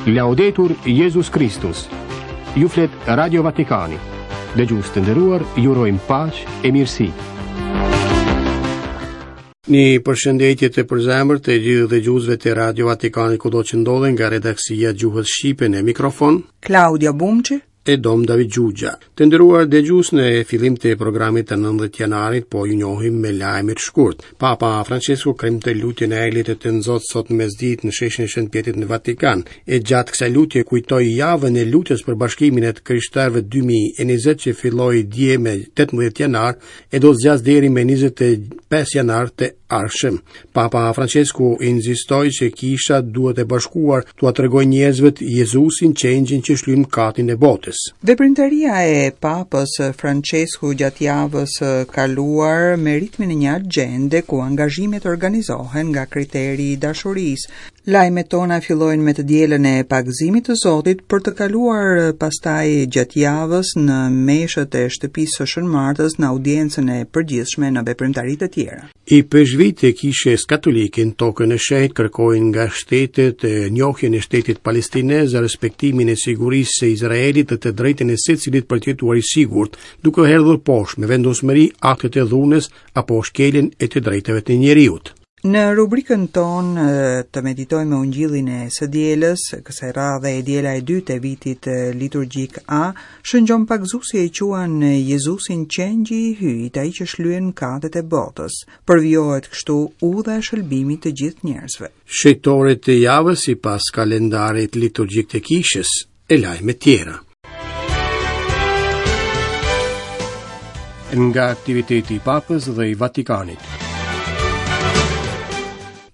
Laudetur Jezus Kristus. Ju flet Radio Vatikani. Dëgjues të nderuar, ju urojmë paqe e mirësi. Një përshëndetje të përzemërt të gjithë dëgjuesve të Radio Vatikanit kudo që ndodhen nga redaksia e gjuhës shqipe në mikrofon. Klaudia Bumçi e Dom David Xhuxha. Të nderuar dëgjues në fillim të programit të 19 janarit po ju njohim me lajmet shkurt. Papa Francesku kremtoi lutjen e Engjëllit të Tënzot sot në mesditë në sheshin e Shën Pjetrit në Vatikan. E gjatë kësaj lutje kujtoi javën e lutjes për bashkimin e të krishterëve 2020 që filloi dje me 18 janar e do të zgjasë deri me 25 janar të ardhshëm. Papa Francesku insistoi që kisha duhet e bashkuar t'ua tregojë njerëzve Jezusin qengjin që shlyen mëkatin e botës. Veprimtaria e Papës Francesku gjatë javës së kaluar me ritmin e një agjende ku angazhimet organizohen nga kriteri i dashurisë, Lajmet tona fillojnë me të dielën e pagëzimit të Zotit për të kaluar pastaj gjatë javës në meshët e shtëpisë së Shën Martës në audiencën e përgjithshme në veprimtari të tjera. Ipeshkvijtë e Kishës Katolike në Tokën e Shenjtë kërkojnë nga shtetet njohjen e shtetit palestinez, respektimin e sigurisë së Izraelit dhe të drejtën e secilit për të jetuar i sigurt, duke hedhur poshtë me vendosmëri aktet e dhunës apo shkeljen e të drejtave të njeriut. Në rubrikën tonë të meditojmë me Ungjillin e së dielës, kësaj radhe e diela e dytë e vitit liturgjik A, Shën Gjon Pagëzuesi e quan Jezusin qengji i Hyjit, ai që shlyen mëkatet e botës. Përvijohet kështu udha e shëlbimit të gjithë njerëzve. Shenjtorët e javës sipas kalendarit liturgjik të kishës, e lajme tjera. Nga aktiviteti i Papës dhe i Vatikanit.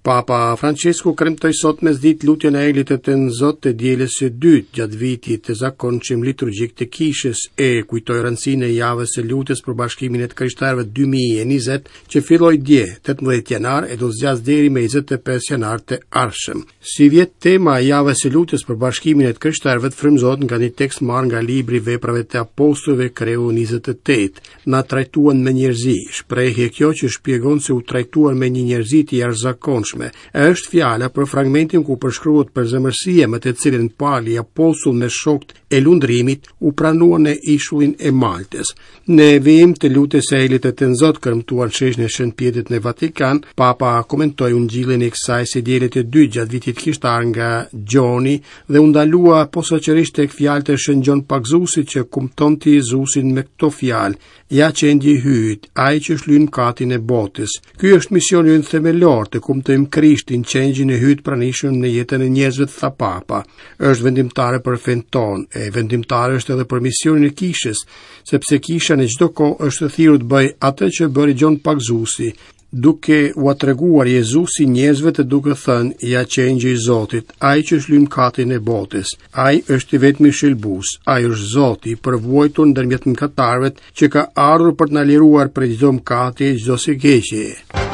Papa Francesku kremtoi sot mesditë lutjen e Engjëllit të Tënzot të dielës së dytë gjatë vitit të zakonshëm liturgjik të kishës e kujtoi rëndësinë e javës së lutjes për bashkimin e të krishterëve 2020 që filloi dje, 18 janar e do të zgjasë deri me 25 janar të ardhshëm. Sivjet tema e javës së lutjes për bashkimin e të krishterëve frymëzohet nga një tekst marrë nga libri i Veprave të Apostujve kreu 28. Na trajtuan me njerëzi, shprehje kjo që shpjegon se u trajtuan me një njerëzi të jashtëzakonshme. Është fjala për fragmentin ku përshkruhet përzemërsia me të cilën Pali apostull me shokët e lundrimit u pranuan në ishullin e Maltës. Në vijim të lutjes së Engjëllit të Tënzot kremtuar në sheshin e Shën Pjetrit në Vatikan, Papa komentoi ungjillin e kësaj së diele të dytë gjatë vitit kishtar nga Gjoni dhe u ndalua posaçërisht tek fjalët e Shën Gjon Pagëzuesit që kumtonte Jezusin me këto fjalë: Ja qengji i Hyjit, ai që shlyen mëkatin e botës. Ky është misioni ynë themelor, të kumtojmë Krishtin, qengjin e Hyjit të pranishëm në jetën e njerëzve, tha Papa. Është vendimtare për fenë tonë, e vendimtare është edhe për misionin e kishës, sepse kisha në çdo kohë është thirrur të bëjë atë që bëri Gjon Pagëzuesi, duke ua treguar Jezusin njerëzve të duke thënë, ja qengji i Zotit, ai që shlyen mëkatin e botës, ai është i vetmi shëlbues, ai është Zoti i përvuajtur ndërmjet mëkatarëve që ka ardhur për të na liruar prej çdo mëkati e çdo së keqeje.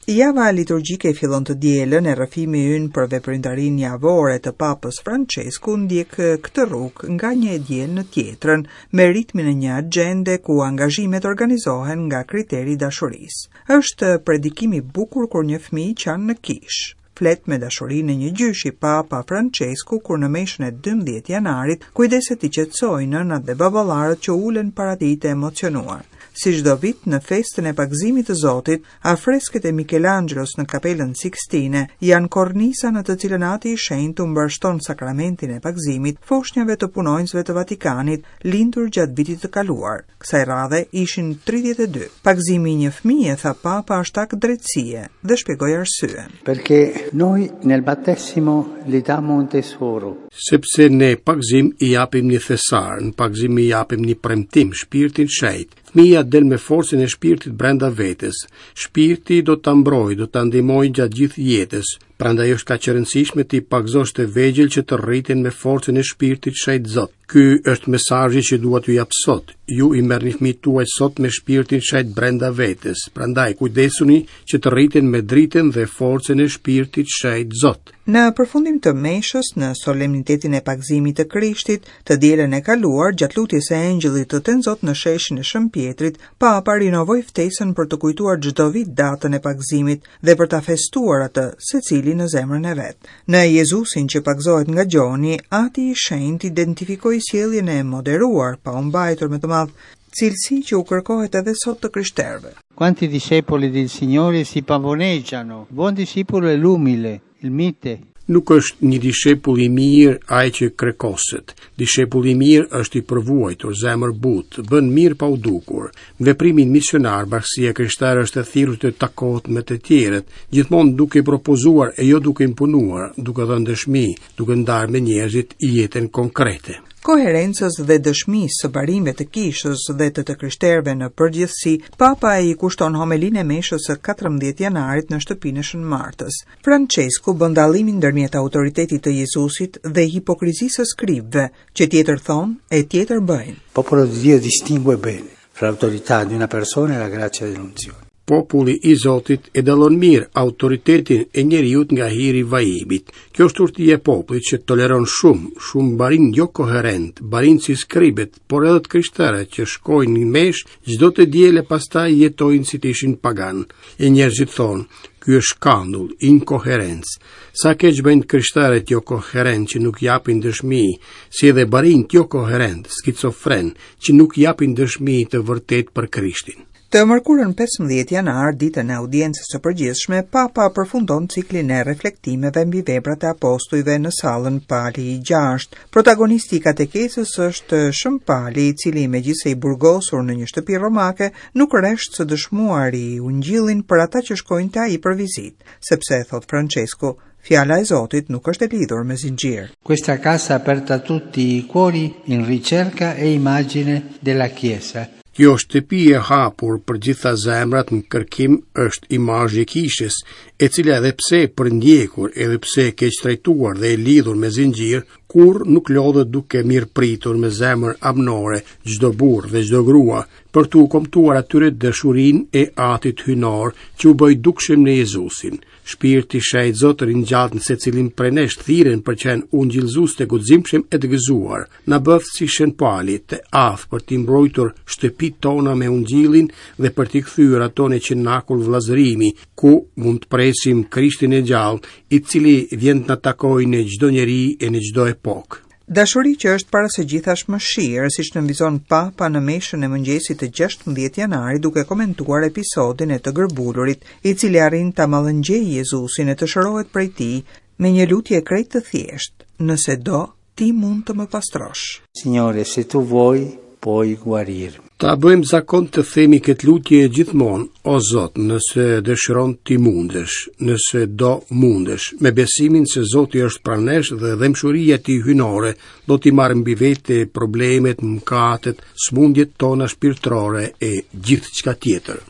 Java liturgjike fillon të dielën e rrëfimi ynë për veprimtarinë javore të Papës Francesku ndjek këtë rrugë nga një e diel në tjetrën, me ritmin e një agjende ku angazhimet organizohen nga kriteri i dashurisë. Është predikim i bukur kur një fëmijë qan në kishë. Flet me dashurinë e një gjyshi Papa Francesku kur në meshën e 12 janarit kujdeset t'i qetësojë nënat dhe baballarët që ulen para tij të emocionuar. Si çdo vit në festën e pagëzimit të Zotit, afresket e Michelangelos në Kapelën Sixtine janë korniza në të cilën Ati i Shenjtë u mbarështon sakramentin e pagëzimit foshnjave të punonjësve të Vatikanit lindur gjatë vitit të kaluar. Kësaj radhe ishin 32. Pagëzimi i një fëmije, tha Papa, është akt drejtësie dhe shpjegoi arsyen. Perché noi nel battesimo gli diamo un tesoro. Sepse ne në pagëzim i japim një thesar, në pagëzim i japim një premtim, shpirtin shenjt. Fëmija del me forcën e shpirtit brenda vetes. Shpirti do ta mbrojë, do ta ndihmojë gjatë gjithë jetës. Prandaj është kaq e rëndësishme t'i pagëzosh të vegjël që të rriten me forcën e shpirtit shenjt Zot. Ky është mesazhi që dua t'ju jap sot. Ju i merrni fëmijët tuaj sot me shpirtin shenjt brenda vetes. Prandaj kujdesuni që të rriten me dritën dhe forcën e shpirtit shenjt Zot. Në përfundim të meshës në solemnitetin e pagëzimit të Krishtit, të dielën e kaluar, gjatë lutjes së Engjëllit të Tenzot në sheshin e Shën Pjetrit, Papa rinovoi ftesën për të kujtuar çdo vit datën e pagëzimit dhe për ta festuar atë, secili. secili në zemrën e vet. Në Jezusin që pagëzohet nga Gjoni, Ati i Shenjtë identifikoi sjelljen e moderuar, pa u mbajtur me të madh, cilësi që u kërkohet edhe sot të krishterëve. Quanti discepoli del Signore si pavoneggiano? Buon discepolo è l'umile, il mite. Nuk është një dishepull i mirë ai që krekoset. Dishepulli i mirë është i përvuajtur, zemërbutë, bën mirë pa u dukur. Në veprimin misionar, bashkësia e krishterë është e thirrur të takohet me të tjerët, gjithmonë duke propozuar e jo duke imponuar, duke dhënë dëshmi, duke ndarë me njerëzit jetën konkrete. Koherencës dhe dëshmisë së barinjve të kishës dhe të të krishterëve në përgjithësi, Papa i kushton homelinë e meshës së 14 janarit në shtëpinë e Shën Martës. Françesku bën dallimin ndërmjet autoritetit të Jezusit dhe hipokrizisë së skribëve, që tjetër thonë e tjetër bëjnë. Popolo di Dio distingue bene fra l'autorità di una persona e la grazia dell'unzione. Populli i Zotit e dallon mirë autoritetin e njeriut nga hiri i vajimit. Kjo është urtia e popullit që toleron shumë, shumë barinj jokoherentë, barinj si skribët, por edhe të krishterë që shkojnë në meshë çdo të diel e pastaj jetojnë si të ishin paganë. E njerëzit thonë, ky është skandull, inkoherencë. Sa keq bëjnë të krishterët jokoherentë që nuk japin dëshmi, si edhe barinjtë jokoherentë, skizofrenë, që nuk japin dëshmi të vërtetë për Krishtin. Të mërkurën 15 janar, ditën e audiencës së përgjithshme, Papa përfundon ciklin e reflektimeve mbi veprat e apostujve në sallën Pali i 6. Protagonisti i katekezës është Shën Pali, i cili megjithëse i burgosur në një shtëpi romake, nuk resht së dëshmuari ungjillin për ata që shkojnë te ai për vizitë, sepse, thotë Françesku, fjala e Zotit nuk është e lidhur me zinxhir. Questa casa aperta a tutti i cuori in ricerca e immagine della Chiesa. Kjo shtëpi e hapur për gjitha zemrat në kërkim është imazhi i kishës, e cila edhe pse e përndjekur, edhe pse e keqtrajtuar dhe e lidhur me zinxhir, kurrë nuk lodhet duke mirëpritur me zemër amnore çdo burrë dhe çdo grua, për t'u kumtuar atyre dashurinë e Atit Hyjnor që u bë i dukshëm në Jezusin. Shpirti i Shenjtë Zot ringjall në secilin prej nesh thirrjen për qenë ungjillëzues të guximshëm e të gëzuar. Na bëftë si Shën Pali, të aftë për t'i mbrojtur shtëpitë tona me ungjillin dhe për t'i kthyer ato në cenakull vëllazërimi, ku mund të presim Krishtin e gjallë, i cili vjen të na takojë në çdo njeri e në çdo epokë. Dashuri që është para së gjithash mëshirë, siç nënvizon Papa në meshën e mëngjesit të 16 janarit duke komentuar episodin e të gërbulurit, i cili arrin ta mallëngjejë Jezusin e të shërohet prej tij me një lutje krejt të thjeshtë, nëse do, ti mund të më pastrosh. Signore, se tu vuoi, puoi guarirmi. Ta bëjmë zakon të themi këtë lutje gjithmonë, o Zot, nëse dëshiron ti mundesh, nëse do mundesh, me besimin se Zoti është pranë nesh dhe dhembshuria e tij hyjnore do t'i marrë mbi vete problemet, mëkatet, sëmundjet tona shpirtërore e gjithçka tjetër.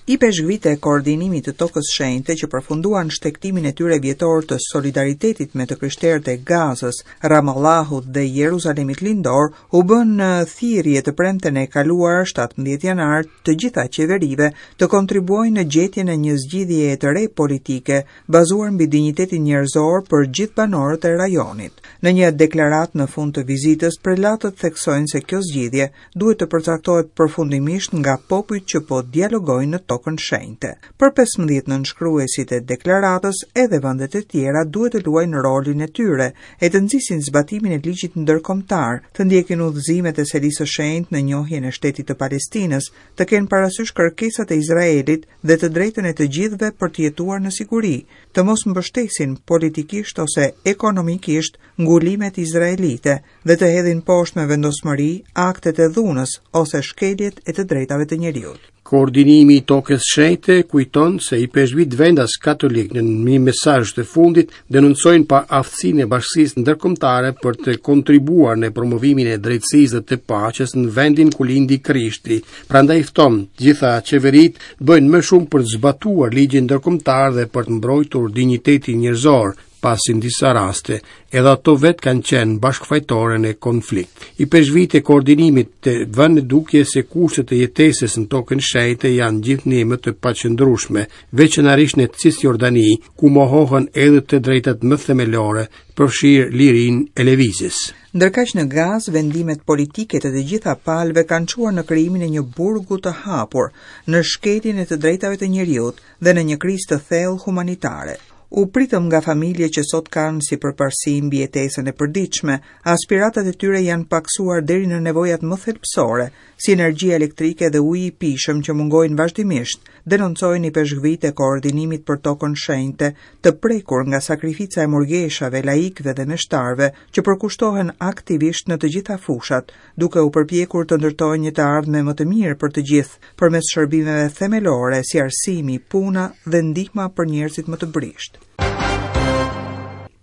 Ipeshkvijtë e koordinimit të Tokës Shenjte që përfunduan shtegtimin e tyre vjetor të solidaritetit me të krishterët e Gazës, Ramallahut dhe Jeruzalemit Lindor, u bënë thirrje të premten e kaluar 17 janar të gjitha qeverive të kontribuojnë në gjetjen e një zgjidhjeje të re politike bazuar mbi dinjitetin njerëzor për gjithë banorët e rajonit. Në një deklaratë në fund të vizitës, prelatët theksojnë se kjo zgjidhje duhet të përcaktohet përfundimisht nga popujt që po dialogojnë në Tokën Shenjte. Për 15 nënshkruesit e deklaratës, edhe vendet e tjera duhet të luajnë rolin e tyre e të nxisin zbatimin e ligjit ndërkombëtar, të ndjekin udhëzimet e Selisë së Shenjtë në njohjen e shtetit të Palestinës, të kenë parasysh kërkesat e Izraelit dhe të drejtën e të gjithëve për të jetuar në siguri, të mos mbështesin politikisht ose ekonomikisht ngulimet izraelite dhe të hedhin poshtë me vendosmëri aktet e dhunës ose shkeljet e të drejtave të njeriut. Koordinimi i Tokës Shenjte kujton se ipeshkvijtë vendas katolikë në një mesazh të fundit denoncojnë paaftësinë e bashkësisë ndërkombëtare për të kontribuar në promovimin e drejtësisë dhe të paqes në vendin ku lindi Krishti. Prandaj fton të gjitha qeveritë të bëjnë më shumë për të zbatuar ligjin ndërkombëtar dhe për të mbrojtur dinjitetin njerëzor. pasi në disa raste edhe ato vetë kanë qenë bashkëfajtore në konflikt. Ipeshkvijtë e koordinimit vënë në dukje se kushtet e jetesës në tokën e shenjtë janë gjithnjë më të paqëndrueshme, veçanërisht në Cisjordani, ku mohohen edhe të drejtat më themelore, përfshirë lirinë e lëvizjes. Ndërkaq në Gazë, vendimet politike të të gjitha palëve kanë çuar në krijimin e një burgu të hapur, në shkeljen e të drejtave të njeriut dhe në një krizë të thellë humanitare. U pritëm nga familje që sot kanë si përparësi mbijetesën e përditshme, aspiratat e tyre janë pakësuar deri në nevojat më thelbësore, si energjia elektrike dhe uji i pijshëm që mungojnë vazhdimisht, denoncojnë ipeshkvijtë e koordinimit për tokën shenjte, të prekur nga sakrifica e murgeshave, laikëve dhe meshtarëve, që përkushtohen aktivisht në të gjitha fushat, duke u përpjekur të ndërtojnë një të ardhme më të mirë për të gjithë, përmes shërbimeve themelore si arsimi, puna dhe ndihma për njerëzit më të brishtë.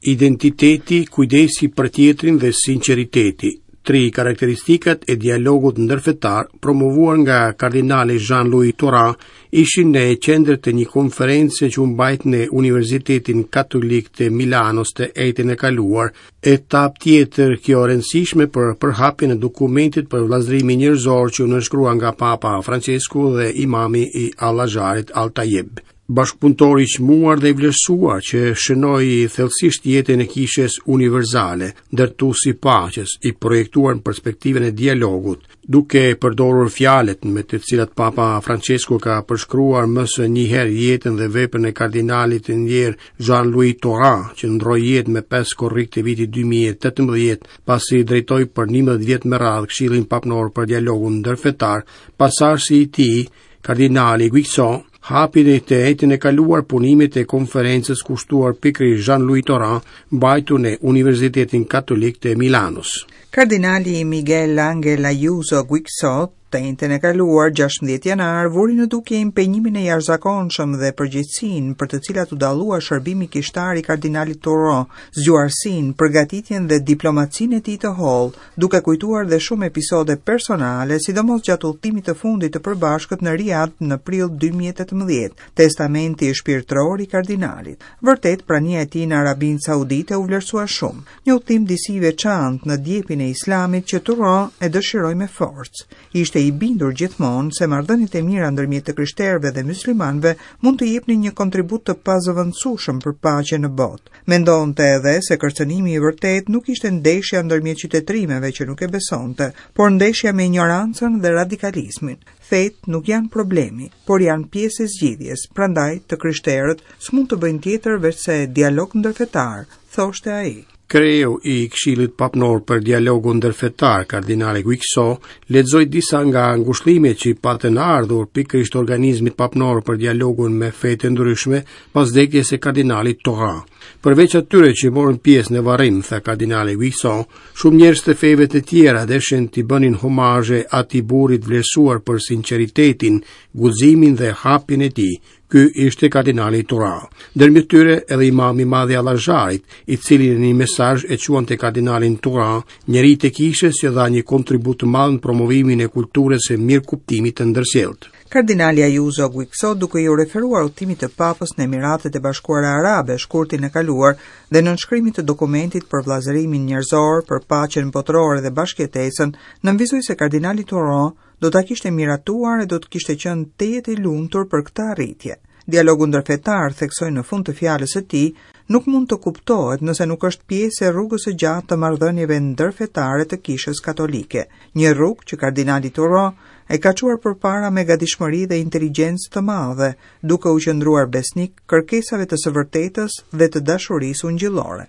Identiteti, kujdesi për tjetrin dhe sinqeriteti, tri karakteristikat e dialogut ndërfetar promovuar nga kardinali Jean-Louis Tauran ishin në qendër të një konference që u mbajt në Universitetin Katolik të Milanos të enjten e kaluar, Etapë tjetër kjo e rëndësishme për përhapjen e dokumentit për vëllazërimin njerëzor që u nënshkrua nga Papa Francesku dhe imami i Al-Azharit Al-Tayeb. Bashkëpunëtor i çmuar dhe i vlerësuar që shënoi thellësisht jetën e kishës universale, ndërtues i paqes, i projektuar në perspektivën e dialogut, Duke përdorur fjalët me të cilat Papa Francesku ka përshkruar më se një herë jetën dhe veprën e kardinalit të ndjerë Jean-Louis Tauran, që ndërroi jetë me 5 korrik të vitit 2018, pasi drejtoi për 11 vjet me radhë Këshillin Papnor për Dialogun Ndërfetar, pasardhësi i tij, kardinali Guixot, hapi dhe të enjten e kaluar punimet e konferencës kushtuar pikërisht Jean-Louis Tauran, mbajtur në Universitetin Katolik të Milanos. Kardinali Miguel Angel Ayuso Guixot, të enjten e kaluar, 16 janar, vuri në dukje impenjimin e jashtëzakonshëm dhe përgjegjësinë për të cilat u dallua shërbimi kishtar i kardinalit Tauran, zgjuarsinë, përgatitjen dhe diplomacinë e tij të hollë, duke kujtuar dhe shumë episode personale, sidomos gjatë udhëtimit të fundit të përbashkët në Riad në prill 2018, testamenti shpirtëror i kardinalit. Vërtet, prania e tij në Arabinë Saudite u vlerësua shumë, një udhëtim disi i veçantë në djepin e Islamit që Tauran e dëshiroi me forcë. Ishte i bindur gjithmonë se marrëdhëniet e mira ndërmjet të krishterëve dhe myslimanëve mund të jepnin një kontribut të pazëvendësueshëm për paqen në botë. Mendonte edhe se kërcënimi i vërtetë nuk ishte ndeshja ndërmjet qytetërimeve që nuk e besonte, por ndeshja me injorancën dhe radikalizmin. Fetë nuk janë problemi, por janë pjesë e zgjidhjes, prandaj të krishterët s'mund të bëjnë tjetër veçse dialog ndërfetar, thoshte ai. Kreu i Këshillit Papnor për Dialogun Ndërfetar, kardinali Guixot, lexoi disa nga ngushëllimet që i patën ardhur pikërisht organizmit papnor për dialogun me fetë e ndryshme pas vdekjes së kardinalit Tauran. Përveç atyre që morën pjesë në varrim, tha kardinali Guixot, shumë njerëz të feve të tjera deshën t'i bënin homazhe atij burri të vlerësuar për sinqeritetin, guximin dhe hapjen e tij, Ky ishte kardinali Tauran. Ndërmjet tyre edhe imami i madh i Al-Azharit, i cili në një mesazh e quante kardinalin Tauran njeri të kishës që dha një kontribut të madh në promovimin e kulturës së mirëkuptimit të ndërsjelltë. Kardinali Ayuso Guixot duke iu referuar udhëtimit të Papës në Emiratet e Bashkuara Arabe shkurtin e kaluar dhe nënshkrimit të dokumentit për vëllazërimin njerëzor, për paqen botërore dhe bashkëjetesën, nënvizoi se kardinali Tauran do ta kishte miratuar e do të kishte qenë tejet i lumtur për këtë arritje. Dialogu ndërfetar, theksoi në fund të fjalës së tij, nuk mund të kuptohet nëse nuk është pjesë e rrugës së gjatë të marrëdhënieve ndërfetare të Kishës Katolike, një rrugë që kardinali Tauran e ka çuar përpara me gatishmëri dhe inteligjencë të madhe, duke u qëndruar besnik kërkesave të së vërtetës dhe të dashurisë ungjillore.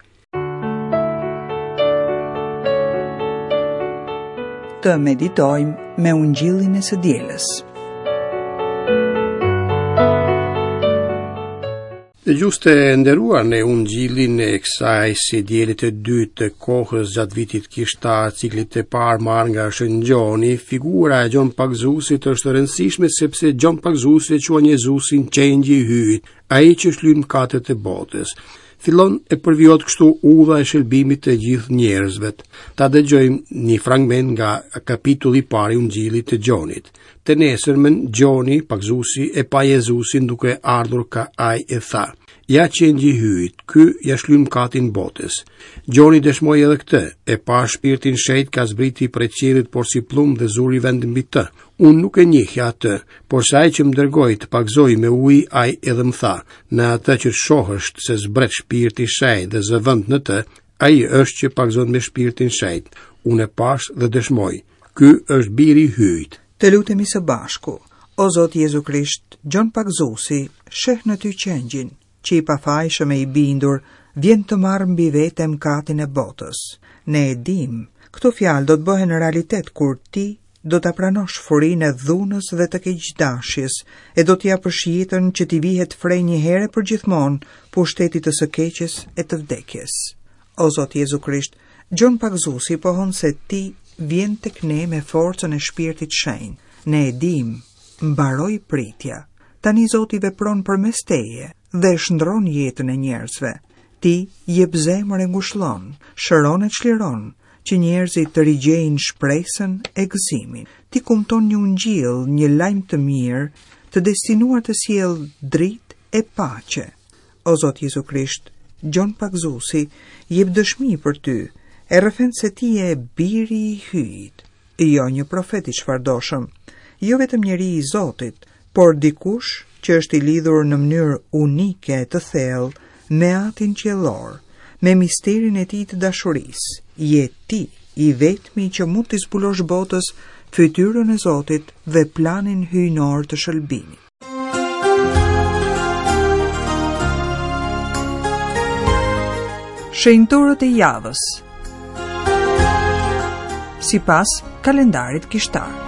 Të meditojmë me ungjillin e së dielës. Dëgjues të nderuar në ungjillin e kësaj së diele të dytë të kohës gjatë vitit kishtar ciklit të parë marrë nga Shën Gjoni, figura e Gjon Pagëzuesit është e rëndësishme sepse Gjon Pagëzuesi e quan Jezusin qengji i Hyjit, ai që shlyen mëkatet e botës. Fillon e përvijohet kështu udha e shëlbimit të gjithë njerëzve. Ta dëgjojmë një fragment nga kapitulli i parë i Ungjillit të Gjonit. Të nesërmen, Gjoni, pagëzuesi, e pa Jezusin duke ardhur ka ai e tha. Ja qengji i Hyjit, ky ia shlyn mëkatin botës. Gjoni dëshmoi edhe këtë, e pashë shpirtin shenjt ka zbriti prej qiellit porsi pëllumb dhe zuri vend mbi të. Unë nuk e njihja atë, porse ai që më dërgoi të pagëzoj me ujë, ai edhe më tha, në atë që shohësh se zbret shpirti i shenjtë dhe zë vend në të, ai është që pagëzon me shpirtin shenjt. Unë e pashë dhe dëshmoj, ky është biri i Hyjit. Të lutemi së bashku. O Zot Jezu Krisht, Gjon Pagëzuesi, sheh në ty qengjin, që i pafajshëm e i bindur, vjen të marrë mbi vete mëkatin e botës. Ne e dimë, këto fjalë do të bëhen realitet kur ti do ta pranosh furinë e dhunës dhe të keqdashjes, e do të japësh jetën që t'i vihet fre një herë e përgjithmonë pushtetit të së keqes e të vdekjes. O Zot Jezu Krisht, Gjon Pagëzuesi pohon se ti vjen tek ne me forcën e Shpirtit Shenjt. Ne e dimë, mbaroi pritja. Tani Zoti vepron përmes teje dhe shndërron jetën e njerëzve. Ti jep zemër e ngushllon, shëron e çliron, që njerëzit të rigjejnë shpresën e gëzimin. Ti kumton një ungjill, një lajm të mirë, të destinuar të sjellë dritë e paqe. O Zot Jezu Krisht, Gjon Pagëzuesi jep dëshmi për ty, e rrëfen se ti je biri i Hyjit, jo një profet i çfarëdoshëm, jo vetëm njeri i Zotit, por dikush që është i lidhur në mënyrë unike e të thellë me Atin Qiellor, me misterin e tij të dashurisë. Je ti i vetmi që mund t'i zbulosh botës fytyrën e Zotit dhe planin hyjnor të shëlbimit. Shenjtorët e javës Sipas kalendarit kishtar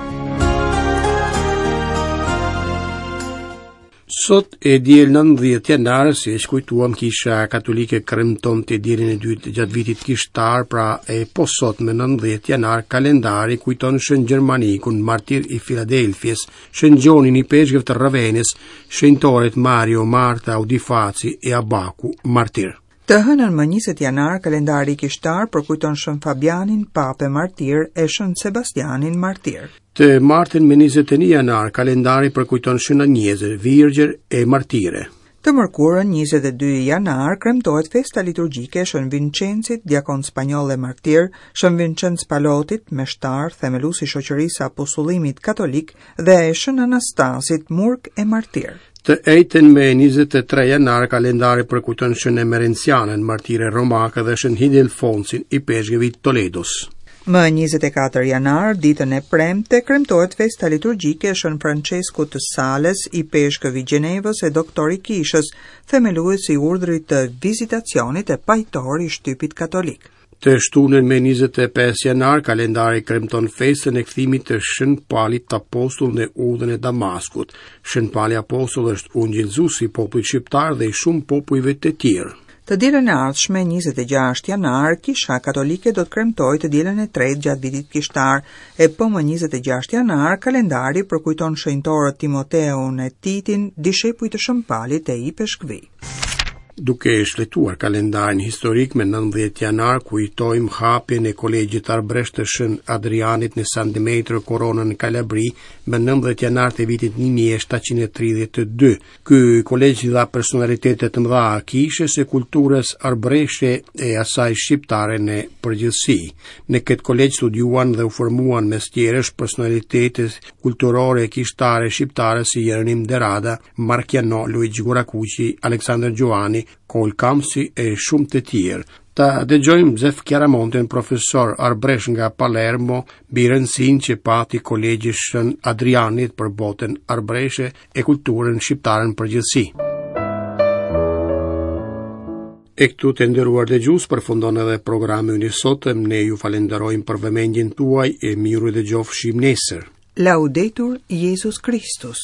Sot e diel 19 janar, siç kujtuam kisha katolike kremton të dielën e dytë gjatë vitit kishtar, pra e po sot me 19 janar kalendari kujton Shën Gjermanikun, martir i Filadelfies, Shën Gjonin ipeshkëv të Ravenës, shenjtorët Mario, Marta, Audifaci e Abaku, martir. Të hënën më 20 janar, kalendari kishtar përkujton Shën Fabianin, papë e martir, e Shën Sebastianin, martir. Të martën më 21 janar, kalendari përkujton Shën Anjezën, virgjër e martire. Të mërkurën, 22 janar, kremtohet festa liturgjike e Shën Vinçencit, diakon spanjoll e martir, Shën Vinçenc Palotit, meshtar, themelues i Shoqërisë së Apostullimit Katolik dhe Shën Anastasit, murg e martir. Të enjten me 23 janar kalendari përkujton Shën Emerencianën, martire romake dhe Shën Hildelfonsin, ipeshkëv i Toledos. Më 24 janar, ditën e premte, kremtohet festa liturgjike e Shën Françeskut të Sales, ipeshkëv i Gjenevës e doktor i Kishës, themelues i urdhrit të vizitacionit e pajtor i shtypit katolik. Të shtunën me 25 janar, kalendari kremton festën e kthimit të Shën Palit Apostull në udhën e Damaskut. Shën Pali Apostull është ungjillëzues i popullit shqiptar dhe i shumë popujve të tjerë. Të dielën e ardhshme, 26 janar, Kisha Katolike do të kremtojë të dielën e tretë gjatë vitit kishtar, e po më 26 janar, kalendari përkujton shenjtorët Timoteun e Titin, dishepuj të Shën Palit e ipeshkvij. Duke shfletuar kalendarin historik me 19 janar, kujtojmë hapjen e Kolegjit Arbëresh të Shën Adrianit në San Demetrio Corona në Kalabri më 19 janar të vitit 1732. Ky kolegj dha personalitete të mëdha kishës e kulturës arbëreshe e asaj shqiptare në përgjithësi. Në këtë kolegj studiuan dhe u formuan mes tjerësh personalitete kulturore e kishtare shqiptare si Jeronim De Rada, Mark Jano, Luigj Gurakuqi, Aleksandër Xhuvani, Kolë Kamsi e shumë të tjerë. Ta dëgjojmë Zef Chiaramonten, profesor arbëresh nga Palermo, mbi rëndësinë që pati kolegji Shën Adrianit për botën arbëreshe e kulturën shqiptare në përgjithësi. E këtu të nderuar dëgjues përfundon edhe programi ynë i sotëm. Ne ju falenderojmë për vëmendjen tuaj e mirudëgjofshim nesër. Laudetur Jesus Christus.